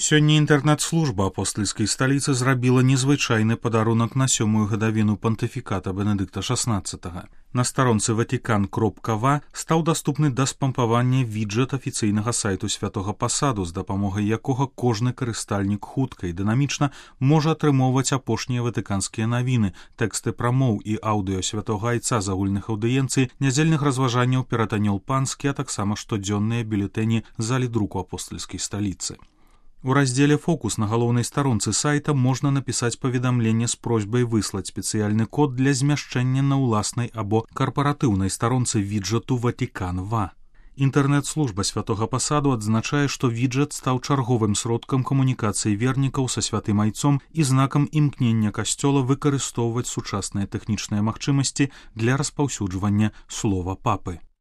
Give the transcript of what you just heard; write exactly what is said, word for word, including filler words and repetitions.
Сёння інтэрнэт-служба апостальскай сталіцы зрабіла незвычайны падарунак на сёмую гадавіну пантыфіката Бенедыкта шаснаццатага. На старонцы ватикан кропка ва стаў даступны да спампавання віджэт афіцыйнага сайту святога пасаду, з дапамогай якога кожны карыстальнік хутка і дынамічна можа атрымоўваць апошнія ватыканскія навіны, тэксты прамоў і аўдыё святога айца з агульных аўдыенцый, нядзельных разважанняў перад анёл панскі, а таксама штодзённыя бюлетэні залі друку апостальскай сталіцы. У раздзеле «Фокус» на галоўнай старонцы сайта можна напісаць паведамленне з просьбай выслаць спецыяльны код для змяшчэння на ўласнай або карпаратыўнай старонцы віджэту «Ватикан ва». Інтэрнэт-служба святога пасаду адзначае, што віджэт стаў чарговым сродкам камунікацыі вернікаў са святым айцом і знакам імкнення касцёла выкарыстоўваць сучасныя тэхнічныя магчымасці для распаўсюджвання слова папы.